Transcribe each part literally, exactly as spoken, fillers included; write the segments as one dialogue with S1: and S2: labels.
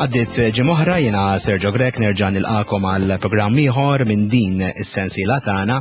S1: Għaddit ġimgħa oħra, jiena Sergio Grech nerġa' nilqakom għal programm ieħor minn din is-sensiela tagħna.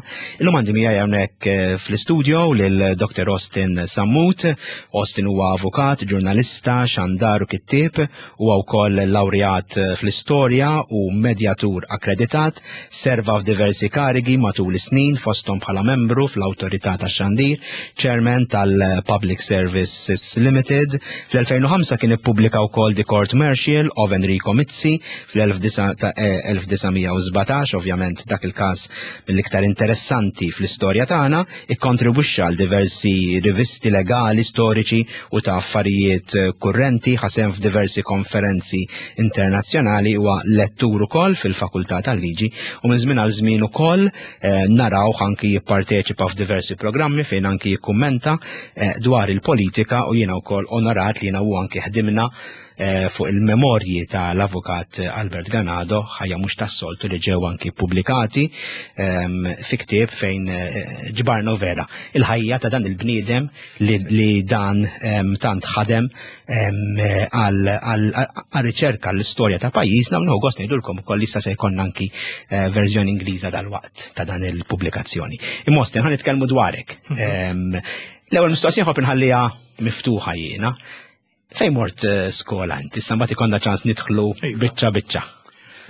S1: Illum għandi miegħi hawnhekk eh, fl-istudio lil Doctor Austin Sammut. Austin huwa avukat, ġurnalista, xandar u kittieb, huwa wkoll lawrjat fl-istorja u medjatur akkreditat, serva f'diversi karigi matul is-snin, fosthom bħala membru fl-Awtorità tax-Xandir, chairman tal-Public Services Limited. Fl-elfejn u ħamsa kien ippubblika wkoll The Court Martial of Enrico Mizzi fl-elf disa' mija u sbatax, ovvjament dak il-każ mill-iktar interessanti fl-istorja tagħna, ikkontribwixxa għal diversi rivisti legali, storiċi u ta' affarijiet kurrenti, ħa sehem f'diversi konferenzi internazzjonali, huwa lettur ukoll fil-Fakultà tal-Liġi u minn żmien għal żmien ukoll eh, naraw anki jipparteċipa f'diversi programmi fejn anki jikkummenta eh, dwar il-politika, u jiena wkoll onorat li jiena u anki ħdimna eh, fuq il-memorji tal-avukat Albert Ganado, Ħajja mhux tas-soltu, li ġew anki pubblikati ehm, fi ktieb fejn eh, ġbarna vera il-ħajja ta' dan il-bniedem li, li dan ehm, tant ħadem ehm, għal riċerka l-istorja ta' pajjiżna, u nieħu gost ngħidulkom ukoll issa se jkollna anki eh, verżjoni Ingliża dal-waqt ta' dan il-pubblikazzjoni. Imma Austin, ħa nitkellmu dwarek. Ehm, L-ewwel mistoqsija nħobb inħalliha miftuħa jiena. Fejn mort eh, skola inti? Issa mbagħad ikollna ċans nidħlu
S2: Iva.
S1: biċċa biċċa.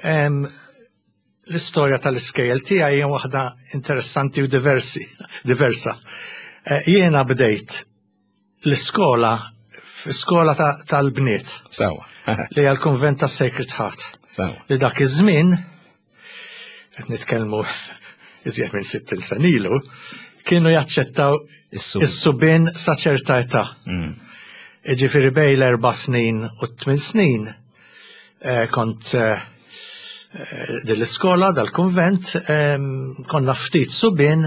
S2: Em, L-istorja tal-iskejjel tiegħi hija waħda interessanti u diversi, diversa. Eh, Jiena bdejt l-iskola f'skola ta- tal-bniet
S1: Sawa.
S2: li hija l-Konvent ta' Sacred Heart.
S1: Sawa.
S2: Li dak iż-żmien, qed nitkellmu iżjed minn sittin sena ilu, kienu jaċċettaw
S1: Is-sub.
S2: is-subien sa ċerta età.
S1: Mm.
S2: Ġifieri bejn l-erba' snin u t-tmien snin eh, kont eh, eh, dil-iskola, dal-konvent, em, konna ftit subien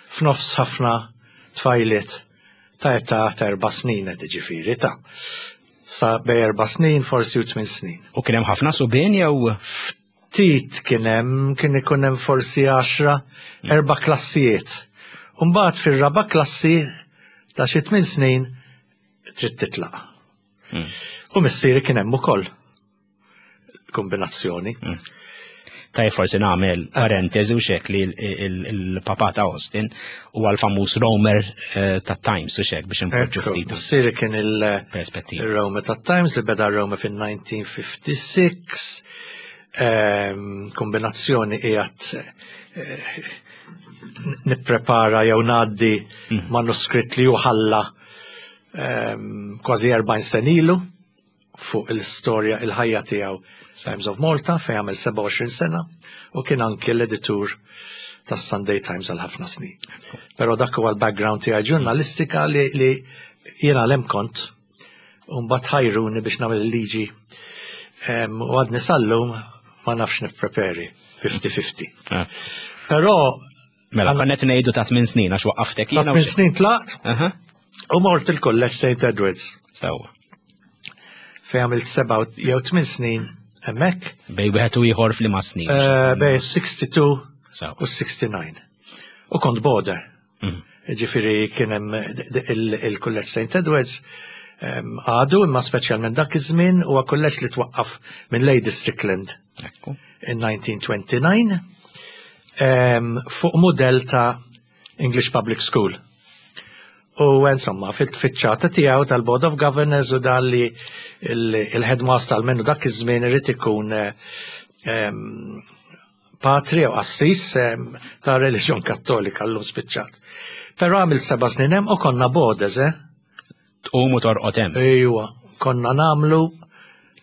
S2: f'nofs ħafna tfajliet ta' età ta' erba' snin qed, ġifieri ta' sa bejn erba' snin forsi u tmien snin.
S1: U kien hemm ħafna subien jew?
S2: Ftit kien hemm, kien ikun hemm forsi għaxra, erba' klassijiet. Umbagħad fir-raba' klassi ta' xi tmien snin trid titlaq.
S1: Mm.
S2: U missieri kien hemm ukoll. Kombinazzjoni.
S1: Taj forsi nagħmel parentesi u xek li il-papa ta' Austin huwa l-famuż Roamer eh, ta' Times u xek biex npoġġu
S2: Ekku,
S1: ftit
S2: missieri kien il-
S1: perspettiva.
S2: il-Roamer ta' Times li beda Roamer fil-elf disa' mija u ħamsa u sittin. Ehm, kombinazzjoni qiegħed eh, nipprepara jew ngħaddi manuskritt li ħalla ehm, kważi erbgħin sena ilu fuq il-istorja, il-ħajja tiegħu Times of Malta, fejn għamel sebgħa u għoxrin sena u kien anke l-editur tas Sunday Times għal ħafna snin. Però dak huwa l-background tiegħi ġurnalistika li, li jiena l kont u mbagħad ħajruni biex nagħmel il-liġi. Em, u għadni sal-lum ma nafx nippreperi ħamsin ħamsin.
S1: Ah.
S2: Però
S1: Mela, konna qed ngħidu ta' tmien snin għax waqqaftek
S2: ta'
S1: jiena. u
S2: tmien
S1: xek.
S2: snin tlaqt
S1: Aha.
S2: u mort il-College Saint Edwards
S1: Sewwa.
S2: fejn għamilt seba' jew tmien snin hemmhekk.
S1: Bejn wieħed u ieħor f'liema snin?
S2: eh, bejn sitta u sittin
S1: Sewwa.
S2: u sitta u sebgħin. U kont boarder.
S1: Mm.
S2: Ġifieri kien hemm il-College Saint Edwards em, għadu, imma speċjalment dak iż-żmien huwa kulleġġ li twaqqaf minn Lady Strickland
S1: Ekku.
S2: in elf disa' mija u disgħa u għoxrin em, fuq modell ta' English Public School. U insomma, fil-tfittxata tiegħu tal-Board of Governors u dan li il-headmaster almenu dak iż-żmien irid ikun eh, em, patri u qassis em, ta' reliġjon Kattolika, llum spiċċat. Però għamil seba' snin hemm u konna boarders, eh?
S1: Tqum u torqod hemm.
S2: Ejwa, konna nagħmlu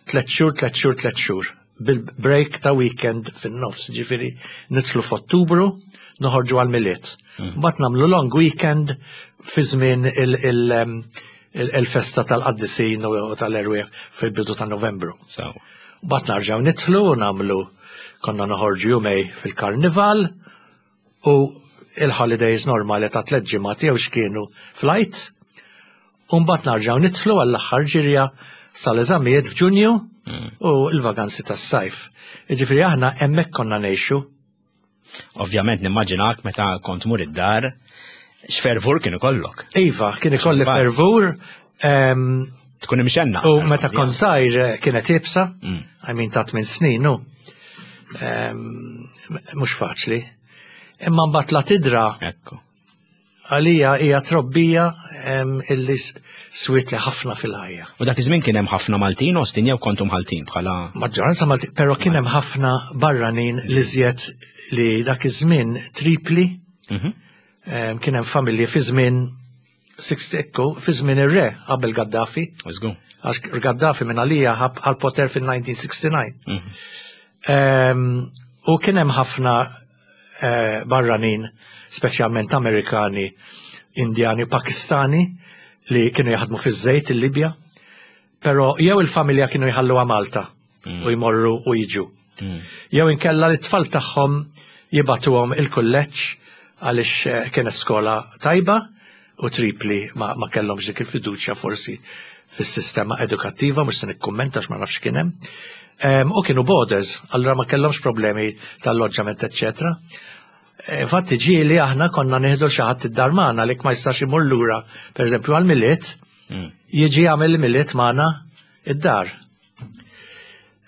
S2: tlet xhur, tlet xhur, tlet xhur. Bil-break ta' weekend fin-nofs, ġifieri nidħlu f'Ottubru, noħorġu għal-Milied. Mbagħad nagħmlu long weekend fi żmien il- il- em, il- il-festa tal-qaddisin u tal-erwieħ fil-bidu ta' Novembru.
S1: Sewwa.
S2: Mbagħad narġgħu nidħlu u nagħmlu, konna noħorġu jumejn fil-karnival u il-holidays normali ta' tliet ġimgħat jew x'kienu flight. U mbagħad narġgħu nidħlu għall-aħħar ġirja sal-eżamijiet f'Ġunju u l-vaganzi tas-sajf. Jiġifieri aħna hemmhekk konna ngħixu.
S1: Ovvjament nimmaġinak meta kont mur id-dar, x'fervur kien ikollok.
S2: Iva, kien ikolli
S1: Imbagħad.
S2: fervur, em,
S1: Tkun imxenna.
S2: U meta kont żgħir eh, kienet iebsa,
S1: Mm.
S2: I mean ta' tmien snin, nu. Em, Mhux faċli. Imma mbagħad la tidra
S1: Ekku.
S2: għalija hija trobbija em, illi s- swietli ħafna fil-ħajja.
S1: U dak iż-żmien kien hemm ħafna Maltin, Austin, jew kontu Maltin bħala.
S2: Maġġoranza Malti, però kien hemm ħafna barranin li żjed li dak iż-żmien Tripli,
S1: Mhm.
S2: em, kien hemm familji fi żmien sixty ekku, fi żmien ir-re qabel Gaddafi,
S1: Żgur.
S2: għax Gaddafi minn għalija ħa l-poter fil-elf disa' mija u disgħa u sittin.
S1: Mhm.
S2: Em, U kien hemm ħafna eh, barranin, speċjalment Amerikani, Indjani u Pakistani li kienu jaħdmu fiż-żejt il-Libja, però jew il-familja kienu jħalluha Malta u jmorru u jiġu.
S1: Mm.
S2: Jew inkella li t-tfal tagħhom jibagħtuhom il-kulleġġ għaliex eh, kienet skola tajba u Tripli ma, ma kellhomx dik il-fiduċja forsi fis-sistema edukattiva, mhux se nikkummenta għax ma nafx kien hemm. Em, U kienu boarders, allura ma kellhomx problemi tal-loġġament, eccetera. Infatti ġieli aħna konna nieħdu xi ħadd id-dar magħna li ma jistax imur lura, pereżempju għal-Milied,
S1: Mm.
S2: jiġi jagħmel il-Milied magħna id-dar.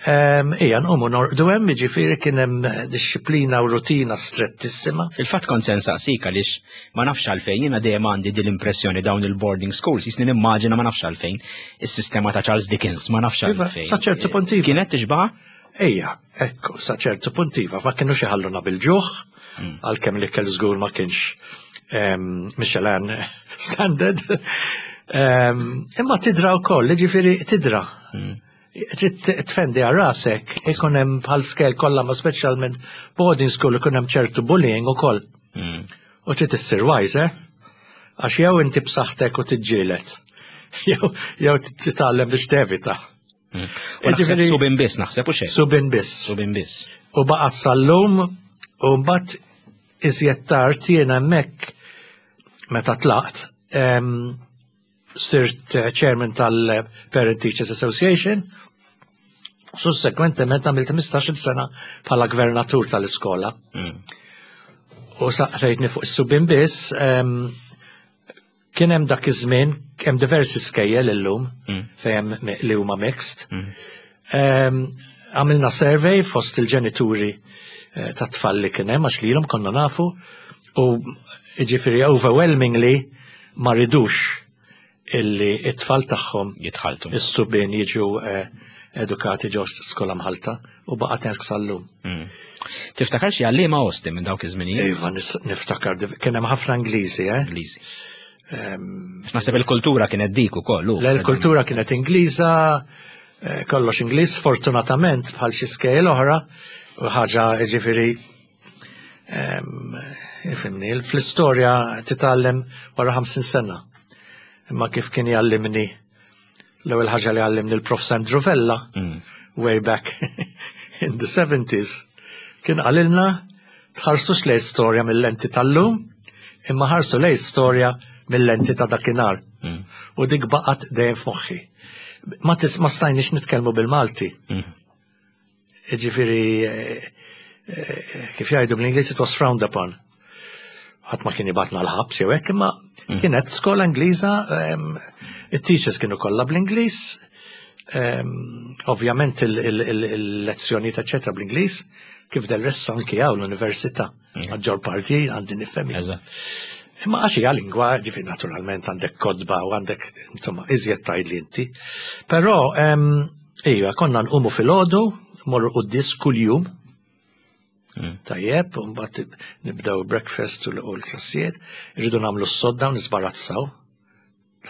S2: Em, Ija, nqumu norqdu hemm, jiġifieri kien hemm disċiplina u rutina strettissima.
S1: Fil-fatt kont se nsaqsik għaliex ma nafx għalfejn, jiena dejjem għandi din l-impressjoni dawn il-boarding schools, jisni nimmaġina, ma nafx għalfejn, is-sistema ta' Charles Dickens, ma nafx
S2: Iva,
S1: għalfejn.
S2: sa ċertu punt iva.
S1: Kienet tixbaħ?
S2: Ejja, ekku, sa ċertu punt iva, ma kienux iħalluna bil-ġuħ, għalkemm li kell żgur ma kienx em, Michelin standard. Em, Imma tidra wkoll, jiġifieri tidra. Trid tfendi għal rasek, ikun hemm bħal skejjel kollha ma speċjalment boarding school ikun hemm ċertu bullying ukoll.
S1: Mm.
S2: U trid issir wise, eh? Għax jew inti b'saħħtek u tiġġieled, jew jew titgħallem biex tevita.
S1: U naħseb
S2: Jiġifieri-
S1: subien biss naħseb u xejn.
S2: Subien biss.
S1: Subien biss.
S2: U baqgħet sal-lum u mbagħad iżjed tard jiena hemmhekk meta tlaqt em, sirt eh, chairman tal-Parent Teachers Association. Sussekwentement għamilt ħmistax-il sena bħala gvernatur tal-iskola.
S1: Mm.
S2: U saqsejtni fuq is-subien biss, em, kien hemm dak iż-żmien, hemm diversi skejjel illum
S1: Mm.
S2: fejn hemm mi- li huma mixed.
S1: Mm.
S2: Em, Għamilna survey fost il-ġenituri eh, ta' tfal li kien hemm għax lilhom konna nafu u jiġifieri overwhelmingly ma ridux illi it-tfal tagħhom
S1: Jitħaltu.
S2: is-subien jiġu eh, edukati ġo skola mħalta u baqgħet hekk sal-lum.
S1: Mm. Tiftakar xi għalliema, Austin, minn dawk iż-żminijiet?
S2: Iva, nis- niftakar, div- kien hemm ħafna Ingliżi, eh?
S1: Ingliżi. Naħseb il-kultura kienet dik ukoll. u-
S2: L-kultura kienet Ingliża, eh, kollox Ingliż, fortunatament bħal xi skejjel oħra, u ħaġa ġifieri em, ifhimni, fl-istorja titgħallem wara ħamsin sena. Imma kif kien jgħallimni l-ewwel ħaġa li għallimni l-Prof Sandro Vella
S1: Mm.
S2: way back in the seventies kien qalilna tħarsux lejn storja mill-lenti tal-lum, imma ħarsu lejn storja mill-lenti ta' dakinhar.
S1: Mm.
S2: U dik baqgħet dejjem f'moħħi. Ma tis ma stajniex nitkellmu bil-Malti.
S1: Mm.
S2: Ġifieri, eh, eh, kif jgħidu bl-Ingliż, it was frowned upon. Ħadd ma kien jibgħatna l-ħabs jew hekk, imma kienet skola Ingliża, em, it-teachers kienu kollha bl-Ingliż, em, ovvjament il-lezzjonijiet eċetera bl-Ingliż, kif del resto anki hawn l-università. Maġġor parti għandi nifhem.
S1: Eżatt.
S2: Imma għax hija lingwa, ġifieri naturalment għandek kotba u għandek, insomma, iżjed tgħid li inti. Però, em, iva, konna nqumu filgħodu, morru quddies kuljum.
S1: Mm.
S2: Tajjeb, u mbagħad nibdew breakfast u l- u l-klassijiet, irridu nagħmlu s-sodda u nisbarazzaw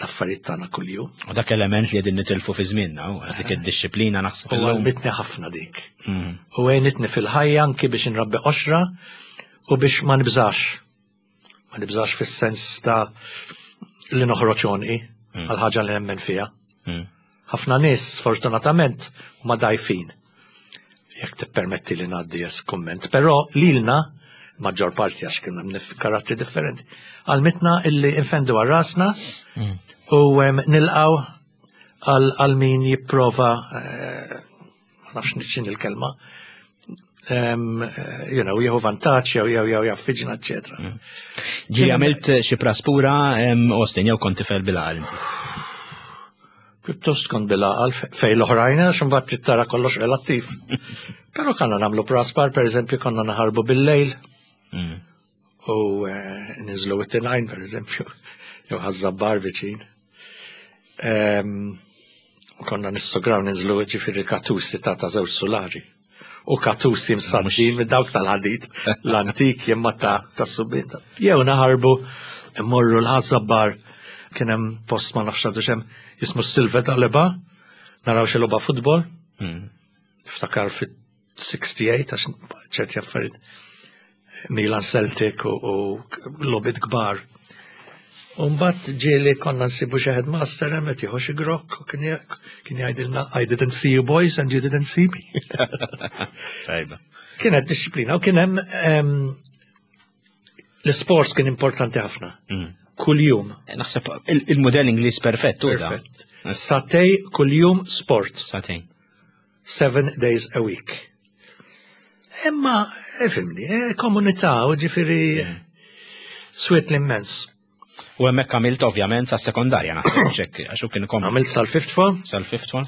S2: l-affarijiet tagħna kuljum.
S1: U dak element li qegħdin nitilfu fi żmienna, u dik id-disciplina naħseb
S2: U
S1: illum.
S2: għallmitni ħafna dik.
S1: Mm.
S2: U għenitni fil-ħajja anki biex nrabbi qoxra u biex ma nibżax. Ma nibżax fis-sens ta' li noħroġ għonqi għal ħaġa li nemmen fiha.
S1: Mm.
S2: Ħafna nies sfortunatament huma dajfin. Jekk tippermetti li ngħaddi jes kumment, però lilna maġġor parti għax kien hemm nif- karattri differenti. Għallmitna illi infendu għal rasna u em, nilqaw għal għal min jipprova eh, ma nafx x'inhi il-kelma, em, eh, you know, jieħu vantaġġ jew jew jew jaffiġna, eċetera.
S1: Ġieli għamilt xi praspura, em, Austin, jew kont tifel bil-għaqal inti?
S2: Pjuttost kont bil-għaqal fejn l-oħrajn, għax imbagħad trid tara kollox relattiv. Però konna nagħmlu praspar, per eżempju, konna naħarbu bil-lejl
S1: Mm.
S2: u eh, ninżlu it-Tinajn, per eżempju, jew Ħaż-Żabbar viċin. Em, U konna nissograw ninżlu, ġifieri, katusi ta' ta' żewġ sulari. U katusi msaddin minn dawk tal-ħadid l-antik jemma ta' ta' subien. Jew naħarbu mmorru l-Ħaż-Żabbar, kien hemm post, ma nafx għadu hemm, jismu Silver Taleba, naraw xi logħba futbol,
S1: Mm.
S2: niftakar fit-sitta u sittin, għax ċerti affarijiet, Milan Celtic u, u logħbiet kbar. U mbagħad ġieli konna nsibu xi headmaster hemm qed jieħu xi grokk u kien jgħ- kien jgħidilna, "I didn't see you boys and you didn't see me."
S1: Tajba.
S2: Kienet disċiplina u kien hemm em, l-sport kien importanti ħafna.
S1: Mm.
S2: Kuljum.
S1: Naħseb il- il-modell Ingliż perfett u da.
S2: Perfett. Sagħtejn kuljum sport.
S1: Sagħtejn.
S2: Seven days a week. Imma, ifhimni, eh, komunità, u ġifieri swiet l-immens.
S1: U hemmhekk għamilt ovvjament sa sekondarja, naħseb ċek, għax u kien kom
S2: Għamilt sal-fifth form,
S1: sal-fifth form.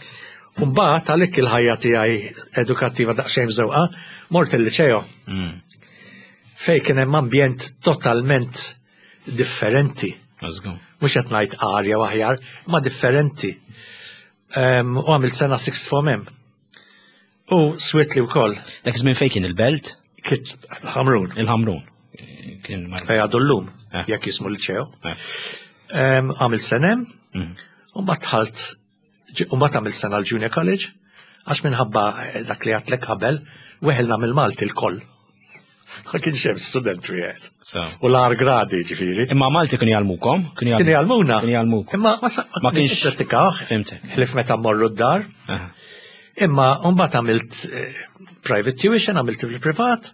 S2: Mbagħad għalhekk il-ħajja tiegħi edukattiva daqsxejn mżewqa, mort il-liċeo
S1: Mm.
S2: fej kien hemm ambjent totalment differenti.
S1: Żgur.
S2: Mhux qed ngħid arja u aħjar, ma differenti. Em, U għamilt sena sixth form hemm. U swietli wkoll.
S1: Dak iż-żmien fejn kien il-belt?
S2: Kit Ħamrun,
S1: Il-Ħamrun. Kien mar.
S2: Fej għadu llum,
S1: Eh.
S2: jekk jismu liċeo.
S1: Eh.
S2: Em, Għamilt sena hemm,
S1: Mm.
S2: u mbagħad dħalt, u mbagħad għamilt sena l-Junior College, għax minħabba eh, dak li għedtlek qabel, weħilna mill-Malti l-koll. Ma kienx hemm student wieħed.
S1: So.
S2: U l-agħar gradi, ġifieri.
S1: Imma Malti kienu jgħallmukom? Kienu
S2: Kienu jgħallmuna.
S1: Kienu jgħallmukom.
S2: Imma ma sa-
S1: Ma kienx-
S2: pratikaw.
S1: Fhimtek.
S2: Ħlief meta mmorru d-dar.
S1: Aha.
S2: Imma mbagħad għamilt eh, private tuition, għamilt il-privat.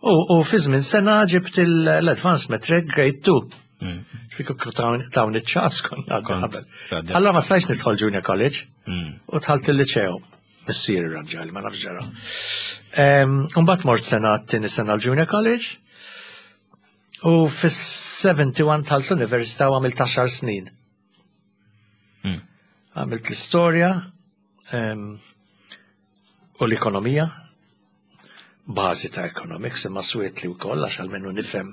S2: U, u fi żmien sena ġibt il- l-Advanced Matric Grade two.
S1: Mm.
S2: Ġifieri dawn iċ-ċans konna
S1: Kont,
S2: qabel.
S1: għadda.
S2: Allora ma stajtx nidħol Junior College
S1: Mm.
S2: u dħalt il-liċeo. Missieri ranġali, ma nafx ġara. Mbagħad mort sena t-tieni sena l-Junior College u fis-sebgħa u sebgħin dħalt l-Università u għamilt għaxar snin.
S1: Mm.
S2: Għamilt l-istorja em, u l-ekonomija, bażi ta' economics, imma swietli wkoll għax almenu nifhem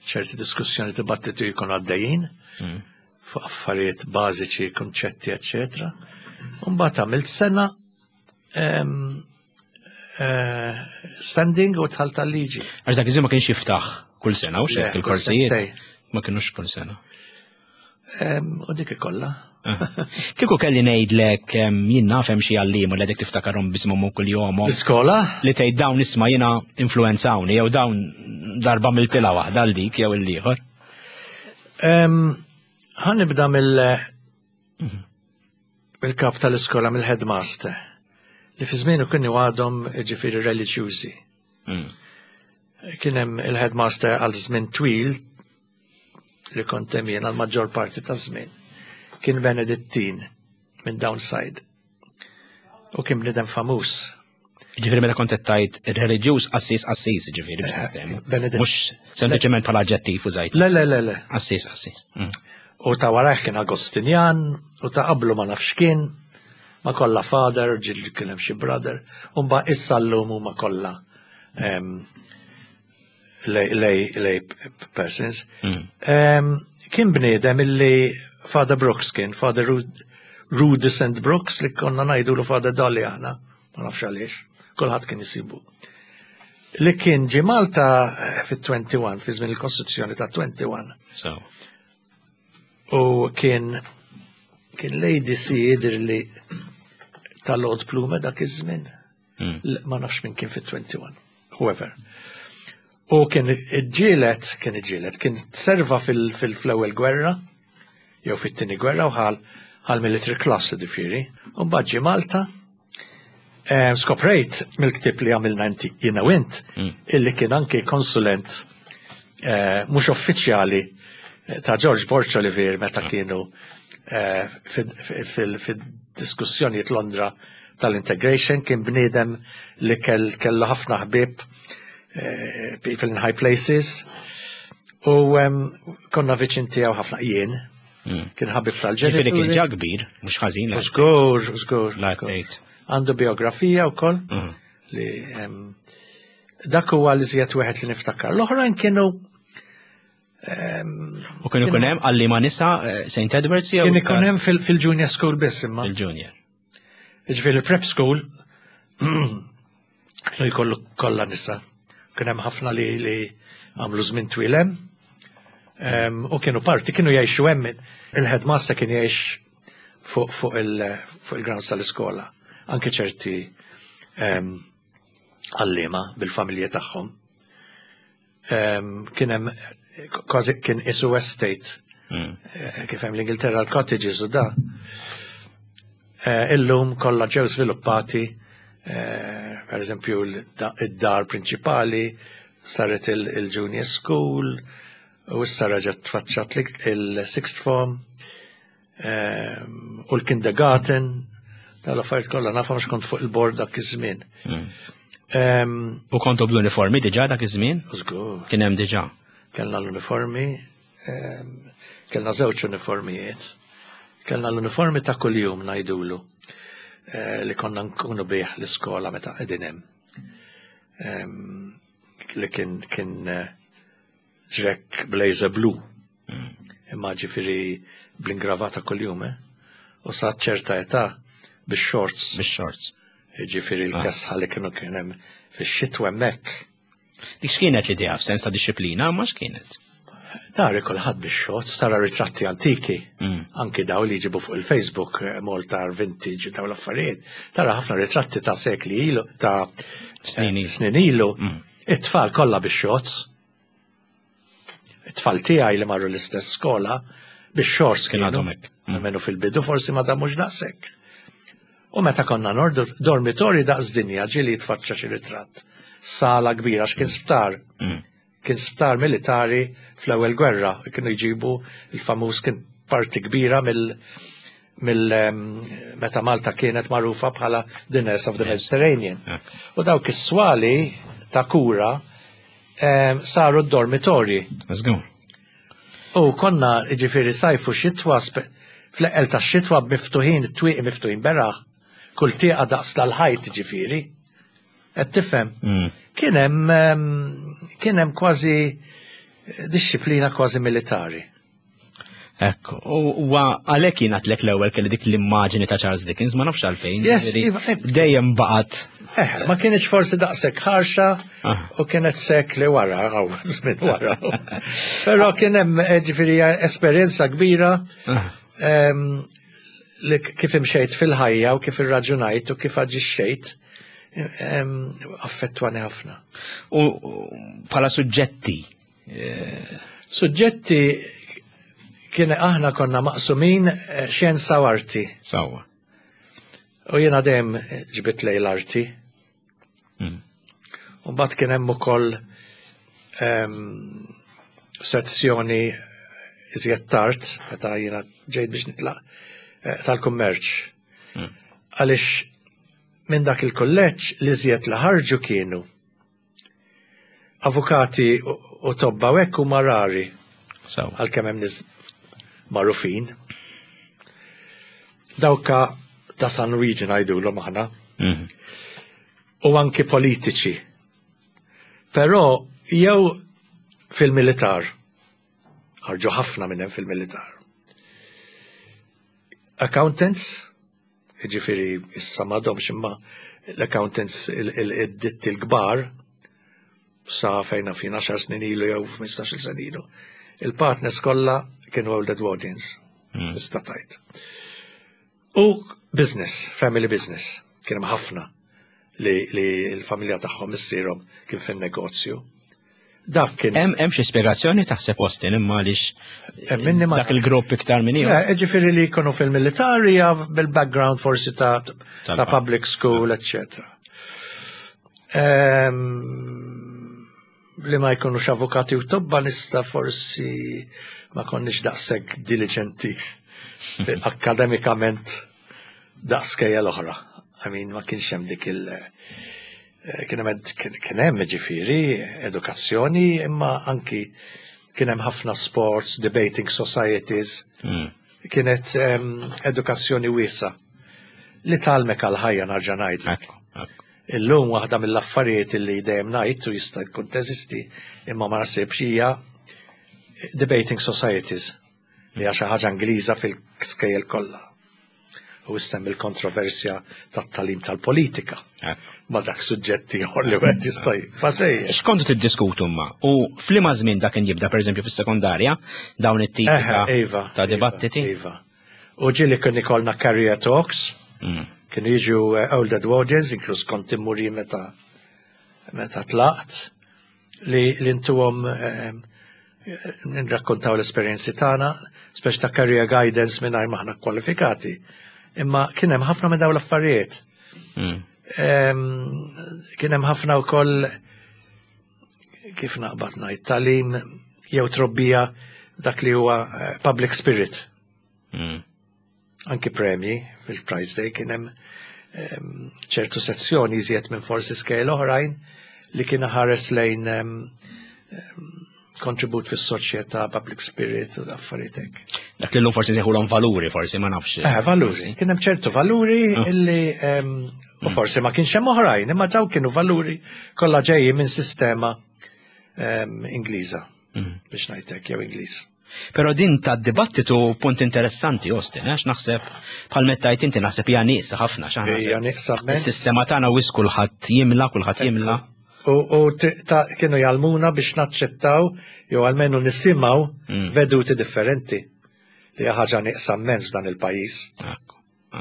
S2: ċerti diskussjoni, dibattitu jkunu għaddejjin
S1: Mm.
S2: fuq affarijiet bażiċi, konċetti, eccetera. Mbagħad għamilt sena em, eh, standing u dħalt tal-liġi.
S1: Għax dak iż-żmien ma kienx jiftaħ kull sena, u
S2: Le,
S1: xek
S2: kull
S1: il-korsijiet
S2: sentejn.
S1: ma kienux kull sena.
S2: Em, U dik ikolla.
S1: Kieku kelli ngħidlek em, jien naf hemm xi għalliem u li għadek tiftakarhom b'isimhom u kuljomhom
S2: L-iskola?
S1: li tgħid dawn isma' jiena influenzawni jew dawn darba mill-tila waħda għal dik jew il-ieħor.
S2: Em, Ħa nibda mill mill-kap tal-iskola, mill-headmaster, li fi żmienu kienu għadhom, ġifieri, reliġjużi.
S1: Mm.
S2: Kien hemm il-headmaster għal żmien twil li kont hemm jien għal maġġor parti ta' żmien. Kien Benedittin minn Downside. U kien bniedem famuż.
S1: Ġifieri meta kont qed tgħid ir-reliġjuż, qassis qassis, ġifieri biex niftehmu.
S2: Beneditt.
S1: Mhux sempliċement bħala aġġettiv użajt.
S2: Le, le, le, le.
S1: Qassis qassis. Mm.
S2: U ta' warajh kien Agostinjan, u ta' qablu ma nafx kien, ma kollha father, ġieli kien hemm xi brother, u mbagħad issa llum huma kollha em, lay, lay, lay persons.
S1: Mm.
S2: Em, Kien bniedem illi Father Brooks kien, Father Rud Rudis and Brooks, li konna ngħidu lu Father Dolly aħna, ma nafx għaliex, kulħadd kien jisibu. Li kien ġi Malta eh, fit-wieħed u għoxrin, fi żmien il-Kostituzzjoni ta' wieħed u għoxrin.
S1: So.
S2: U kien kien L A D C jidher li ta' Lord Plumer dak iż-żmien.
S1: Mm.
S2: L- Ma nafx min kien fit-wieħed u għoxrin. Whoever. U kien iġġielet, kien iġġielet, kien serva fil-ewwel gwerra, jew fit-tieni gwerra, u ħal ħal military class, ġifieri. U mbagħad ġie Malta. Eh, Skoprejt mill-ktib li għamilna inti jiena u int,
S1: Mm.
S2: illi kien anki konsulent eh, mhux uffiċjali eh, ta' George Borg Olivier meta kienu eh, fil-diskussjonijiet Londra tal-integration. Kien bniedem li kell kellu ħafna ħbieb, eh, people in high places, u em, konna viċin tiegħu ħafna jien. Kien ħabib
S1: Ġifieri kien
S2: tal-ġenituri.
S1: ġa kbir, mhux ħażin. La
S2: Żgur, żgur.
S1: La
S2: żgur.
S1: tgħid.
S2: Għandu biografija wkoll
S1: Mhm.
S2: li em, dak huwa li żjed wieħed li niftakar. L-oħrajn kienu
S1: U kien ikun hemm għalliema nisa eh, Saint Edwards jew
S2: kien ikun hemm fil- fil-junior school biss imma.
S1: il-junior.
S2: Ġifieri prep school kienu jkollu kollha nisa. Kien hemm ħafna li li għamlu żmien twil hemm. Em, U kienu parti, kienu jgħixu hemm. Il-headmaster kien jgħix fuq fuq il fuq il-grounds tal-iskola. Anke ċerti em, għalliema bil-familji tagħhom. Em, Kien hemm kważi kien isu estate
S1: Mm.
S2: eh, kif hemm l-Ingilterra l-cottages u da. Eh, Illum kollha ġew sviluppati, eh, per eżempju id-dar prinċipali saret il- il-junior school, u issa reġgħet tfaċċat il-sixth form, eh, u l-kindergarten, tal-affarijiet kollha nafhom x'kont fuq il-board dak iż-żmien. Em,
S1: U kontu bl-uniformi diġà dak iż-żmien?
S2: Żgur.
S1: Kien hemm diġà.
S2: Kellna l-uniformi, em, kellna żewġ uniformijiet. Kellna l-uniformi ta' kuljum ngħidulu eh, li konna nkunu bih l-iskola meta qegħdin hemm. Em, Li kien kien eh, track blazer blue. Imma ġifieri bl-ingravata kuljum, eh? U sa ċerta età bix-shorts,
S1: Bix-shorts.
S2: Ġifieri l-kesħa li kienu kien hemm fix-xitwa hemmhekk.
S1: Dik x'kienet l-idea f'sens ta' disċiplina, ma x'kienet?
S2: Dari kulħadd bix-shorts, tara ritratti antiki,
S1: Mm.
S2: anki daw li jġibu fuq il-Facebook, eh, Malta Vintage, daw l-affarijiet, tara ħafna ritratti ta' sekli ilu, ta'
S1: Snin ilu.
S2: snin ilu,
S1: Mm.
S2: it-tfal kollha bix-shorts. It-tfal tiegħi li marru l-istess skola bix-shorts
S1: Kien
S2: kienu.
S1: għadhom hekk. Mm.
S2: Almenu fil-bidu forsi ma damux daqshekk. U meta konna nordu dormitori daqs dinja ġieli jitfaċċa xi ritratt. Sala kbira x'kien sptar.
S1: Mm.
S2: Kien sptar militari fl-ewwel gwerra, kienu jġibu il-famuż kien parti kbira mill mill em, meta Malta kienet magħrufa bħala the Nurse of the Mediterranean.
S1: Hekk.
S2: U dawk is-swali ta' kura em, saru d-dormitorji.
S1: Żgur.
S2: U konna ġifieri sajfu xitwa spe- fl-eqqel ta' xitwa miftuħin, it-twieqi miftuħin beraħ, kull tieqa daqs tal-ħajt ġifieri. Qed tifhem?
S1: Mm.
S2: Kien hemm em, kien hemm kważi disċiplina kważi militari.
S1: Ekku, u huwa għalhekk jien għedtlek l-ewwel kelli dik l-immaġini ta' Charles Dickens, ma nafx għalfejn.
S2: Yes,
S1: ġifieri,
S2: iva, eh.
S1: Dejjem baqgħet.
S2: Eh, ma kienx forsi daqshekk ħarxa
S1: Ah.
S2: u kienet sekli wara, għaw, żmien wara. Però kien hemm eh, ġifieri esperjenza kbira
S1: Ah.
S2: em, li kif imxejt fil-ħajja u kif irraġunajt u kif aġixxejt em, affettwani ħafna.
S1: U u bħala suġġetti.
S2: Suġġetti kien aħna konna maqsumin eh, xjenza u arti.
S1: Sewwa.
S2: U jiena dejjem ġbit lej l-arti.
S1: Mm.
S2: U mbagħad kien hemm ukoll em, sezzjoni iżjed tard, meta jiena ġejt biex nitlaq, eh, tal-kummerċ.
S1: Mm.
S2: Għaliex minn dak il-kulleġġ li iżjed li ħarġu kienu avukati u u tobba u hekk huma rari
S1: Sewwa.
S2: għalkemm hemm nies magħrufin. Dawka ta' San Luigi ngħidulhom aħna
S1: Mm.
S2: u anki politiċi. Però jew fil-militar, ħarġu ħafna minn hemm fil-militar. Accountants, jiġifieri issa m'għadhomx imma l-accountants il-ditti l-kbar, sa fejna fin għaxar snin ilu jew ħmistax-il sena ilu. Il-partners kollha kienu Old Edwardians,
S1: Mm.
S2: tista' tgħid. U business, family business, kien hemm ħafna li, li l-familja tagħhom missierhom kien fin-negozju. Dak kien
S1: Hemm hemm xi spjegazzjoni taħseb Austin imma għaliex
S2: Hemm minni ma-
S1: dak il-grupp iktar minn ieħor.
S2: Le, ġifieri li jkunu fil-militari bil-background forsi ta' ta'
S1: Tal-
S2: public school, eccetera. Ehm, li ma jkunux avukati u tobba nista forsi ma konniex daqshekk diligenti akademikament daqs skejjel oħra. I mean, ma kienx hemm dik il- eh, kien hemm kien kien hemm ġifieri edukazzjoni, imma anki kien hemm ħafna sports, debating societies,
S1: Mm.
S2: Kienet em, edukazzjoni wiesgħa li tgħallmek għal-ħajja, nerġa' ngħidlek.
S1: Ekku, ekku.
S2: Illum waħda mill-affarijiet li dejjem ngħid u jista' tkun teżisti imma ma naħsibx hija debating societies, li hija xi ħaġa Ingliża fil-skejjel kollha. U issem il-kontroversja tat-tagħlim tal-politika.
S1: Ekku.
S2: Ma dak suġġetti ieħor li wieħed jista' jibqa'
S1: X'kontu tiddiskutu ma? U f'liema żmien dak kien jibda, pereżempju fis-sekondarja, dawn it-tipi ta'
S2: Iva,
S1: ta' dibattiti?
S2: Iva. U ġieli kien ikollna career talks,
S1: Mm.
S2: kienu jiġu eh, Old Edwardians, inkluż kont immur jien meta meta tlaqt, li li ntuhom eh, nrakkontaw l-esperjenzi tagħna, speċi ta' career guidance mingħajr m'aħna kwalifikati. Imma kien hemm ħafna minn dawn l-affarijiet.
S1: Mm.
S2: Em, Kien hemm ħafna wkoll, kif naqbad ngħid, tagħlim jew trobbija dak li huwa eh, public spirit.
S1: Mm.
S2: Anki premji fil-Prize Day kien hemm em, ċertu sezzjoni iżjed minn forsi skejjel oħrajn li kien ħares lejn em, em, kontribut fis-soċjetà, public spirit u affarijiet hekk.
S1: Dak li l-lum forsi nsejħulhom valuri, forsi, ma nafx.
S2: Eh, valuri. Kien hemm ċertu valuri
S1: Ah.
S2: illi em, u forsi ma kienx hemm oħrajn, imma daw kienu valuri kollha ġejjin minn sistema em, Ingliża,
S1: Mm.
S2: biex ngħidlek, jew Ingliż.
S1: Però din ta' dibattitu punt interessanti, Austin, għax naħseb bħal mettajt inti, naħseb hija nieqsa ħafna, x'aħna
S2: Hija
S1: naħseb
S2: nieqsa immens.
S1: Is-sistema tagħna wis kulħadd jimla, kulħadd jimla.
S2: U, u t- ta' kienu jgħallmuna biex naċċettaw jew almenu nisimgħu
S1: Mm.
S2: veduti differenti, li hija ħaġa nieqsa immens f'dan il-pajjiż.
S1: Ekku,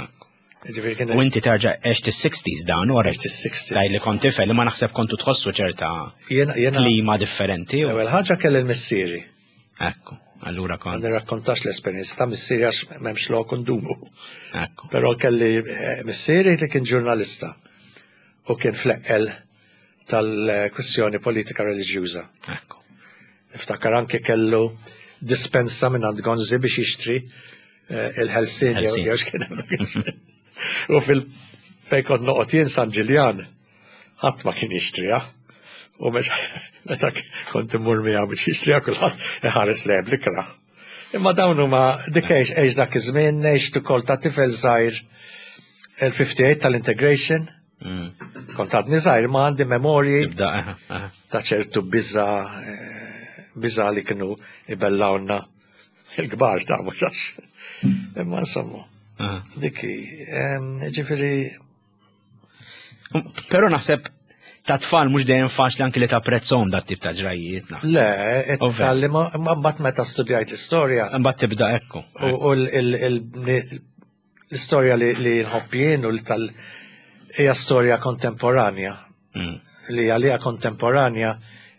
S1: ekku.
S2: Ġifieri kien
S1: U inti terġa' għext is-sixties dan, u
S2: Għext is-sixties.
S1: Daj li kont tifel, ma naħseb kontu tħossu ċerta
S2: jiena jiena
S1: klima differenti. u-
S2: l-ewwel ħaġa kelli l-missieri.
S1: Ekku, allura
S2: Ma
S1: kont.
S2: nirrakkontax l-esperjenza ta' missieri għax m'hemmx lok ndumu.
S1: Ekku.
S2: Però kelli eh, missieri li kien ġurnalista u kien fl-eqqel tal-kwistjoni politika reliġjuża.
S1: Ekku.
S2: Niftakar anke kellu dispensa minn għand Gonzi biex jixtri eh, il-Ħelsien jew
S1: Ħelsien.
S2: jew x'kien hemm dak iż-żmien. U fil fejn kont noqgħod jien, San Ġiljan, ħadd ma kien jixtriha. U meta meta kont immur miegħu biex jixtriha, kulħadd iħares lejh bl-ikrah. Imma dawn huma dik għex għex dak iż-żmien, għext ukoll ta' tifel żgħir il-fifty-eight tal-integration.
S1: Mm.
S2: Kont għadni żgħir ma għandi memorji
S1: Tibda, aha, aha.
S2: ta' ċertu biża eh, biża li kienu ibellawna il-kbar ta' mhux għax. Imma insomma,
S1: aha.
S2: diki, em, ġifieri,
S1: Però naħseb ta' tfal mhux dejjem faċli anki li tapprezzhom dat tip ta' ġrajiet, naħseb.
S2: Le,
S1: Ovvja.
S2: it-tal ma mbagħad meta studjajt l-istorja
S1: Imbagħad tibda, ekku.
S2: u u l- l- l- l-istorja li li nħobb jien u l-tal hija storja kontemporanja
S1: Mm.
S2: li għalija kontemporanja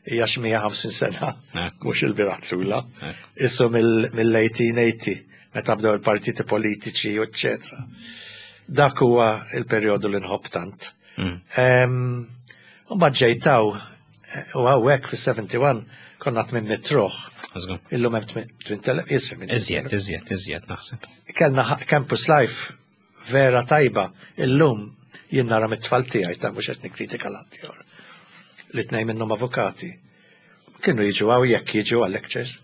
S2: hija xi mija u ħamsin sena,
S1: Ekku.
S2: mhux il-bieraħ tlula.
S1: Ekku.
S2: Issu mill-eighteen eighty meta bdew il-partiti politiċi u eccetera. Dak huwa il-perjodu li nħobb tant.
S1: Mm.
S2: Em, U mbagħad ġejtaw u hawnhekk fis-sebgħa u sebgħin konna tmien mitt ruħ.
S1: Żgur.
S2: Illum hemm tmien elef jisir minn
S1: Iżjed, iżjed, iżjed naħseb.
S2: Kellna ħa- campus life vera tajba. Illum jien nara mit-tfal tiegħi, ta' mhux qed nikkritika l-ħaddieħor. Li tnejn minnhom avukati. Kienu jiġu hawn jekk jiġu għal lectures.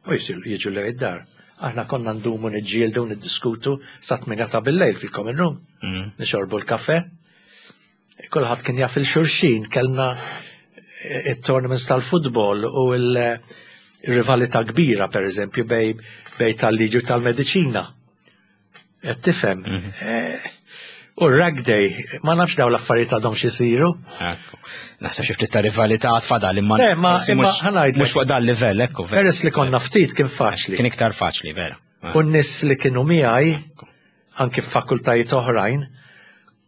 S2: U jiġu jiġu lejn id-dar. Aħna konna ndumu niġġieldu, niddiskutu sa tmienja ta' bil-lejl fil-common room.
S1: Mm.
S2: Nixorbu l-kafe. Kulħadd kien jaf il-xulxin, kellna il-tournaments tal-futbol u il-rivalità kbira, per eżempju, bej, bej tal-liġi u tal-mediċina. Qed tifhem? Eh, U r-rag day, ma nafx daw l-affarijiet għadhom xisiru.
S1: Ekku. Naħseb xi ftit ta' rivalità tfadal imma
S2: Le, ma-
S1: forsi
S2: imma
S1: mhux-
S2: ħa ngħidlek.
S1: mhux fuq dan livell, ekku. Vera.
S2: Peress li konna ftit kien faċli.
S1: Kien iktar faċli, vera.
S2: U n-nies li kienu miegħi, anki f'fakultajiet oħrajn,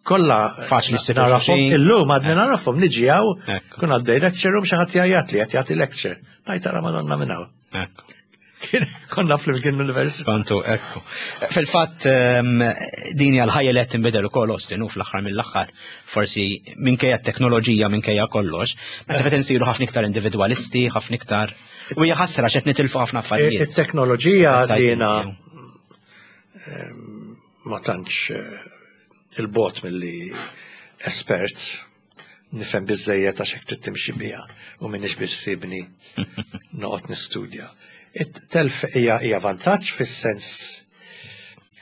S2: kollha
S1: Faċli ssib
S2: narafhom,
S1: xulxin.
S2: illum għadni narafhom, niġi hawn,
S1: Ekku.
S2: kun għaddej lecture u xi ħadd jgħajjat li qed jagħti lecture. Ngħid, "Ara Madonna minn hawn."
S1: Ekku.
S2: Kien- Konna flimkien l-università.
S1: Kontu, ekku. Fil-fatt, ehm, din hija l-ħajja li qed tinbidel ukoll, Austin, u fl-aħħar mill-aħħar, forsi minkejja t-teknoloġija, minkejja kollox, naħseb qed insiru ħafna iktar individwalisti, ħafna iktar. U hija ħasra x'qed nitilfu ħafna affarijiet.
S2: It-teknoloġija li jiena
S1: Tajt
S2: ma tantx eh, il-bot milli espert, nifhem biżejjed għax hekk trid timxi biha u m'iniex biex sibni noqgħod nistudja. It-telf hija hija vantaġġ fis-sens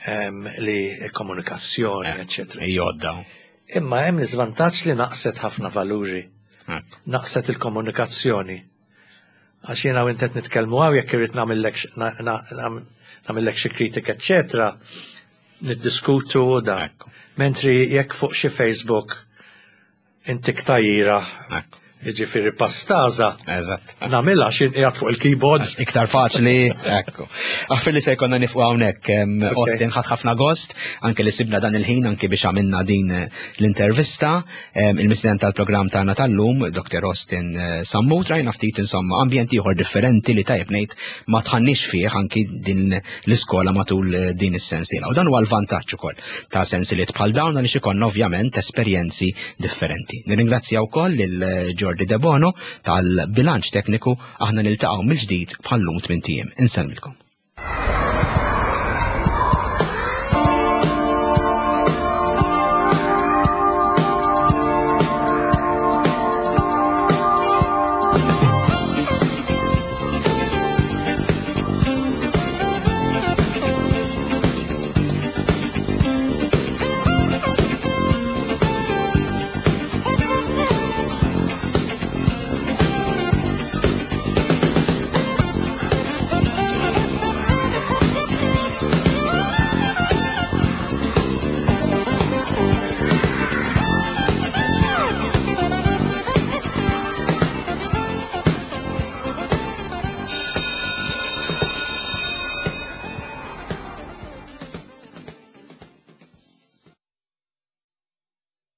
S2: em, li komunikazzjoni, eccetera.
S1: Jodda.
S2: Imma hemm l-iżvantaġġ li naqset ħafna valuri, naqset il-komunikazzjoni. Għax jiena u inti qed nitkellmu hawn, jekk irrid nagħmellek x- na- na- nam- nagħmellek xi kritika, eċetera, niddiskutu u da.
S1: Ekku.
S2: Mentri jekk fuq xi Facebook intik tajira,
S1: Ekku.
S2: jiġifieri pastaża,
S1: Eżatt.
S2: nagħmilha xi qiegħed fuq il-keyboard.
S1: Iktar faċli, ekku. Aħfir li se jkollna nieqfu hawnhekk, em,
S2: Ok.
S1: Austin, ħadt ħafna gost, anke li sibna dan il-ħin anke biex għamilna din eh, l-intervista. Em, Il-mistieden tal-programm tagħna tal-lum, Doktor Austin eh, Sammut, rajna ftit insomma ambjent ieħor differenti li tajjeb ngħid ma tħannix fih anki din l-iskola matul eh, din is-sensiela. U dan huwa l-vantaġġ ukoll ta' sensiliet bħal dawn, għaliex ikollna ovvjament esperjenzi differenti. Nirringrazzja wkoll lil eh, Jordi De Bono tal-bilanċ tekniku. Aħna niltaqgħu mill-ġdid bħal-lum tmint ijiem. Insellmilkom.